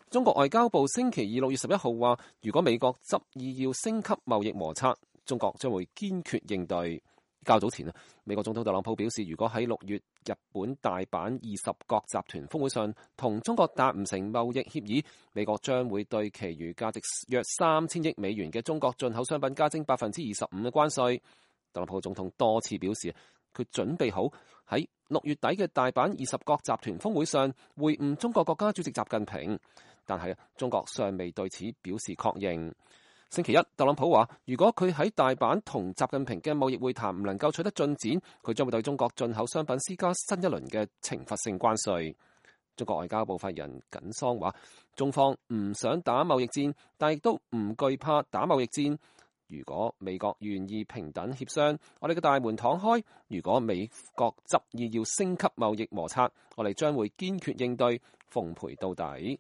中國外交部星期二6月11號話，如果美國執意要升級貿易摩擦，中國將會堅決應對。較早前美國總統特朗普表示，如果喺6月日本大阪20國集團峰會上同中國達唔成貿易協議，美國將會對其餘價值約3000億美元嘅中國進口商品加徵25%嘅關稅。特朗普總統多次表示，佢準備好喺6月底嘅大阪20國集團峰會上會晤中國國家主席習近平，但係中國尚未對此表示確認。星期一，特朗普話，如果佢喺大阪同習近平嘅貿易會談唔能夠取得進展，佢將會對中國進口商品施加新一輪嘅懲罰性關稅。中國外交部發言人耿桑話，中方唔想打貿易戰，但亦都唔懼怕打貿易戰。如果美國願意平等協商，我哋嘅大門敞開；如果美國執意要升級貿易摩擦，我哋將會堅決應對，奉陪到底。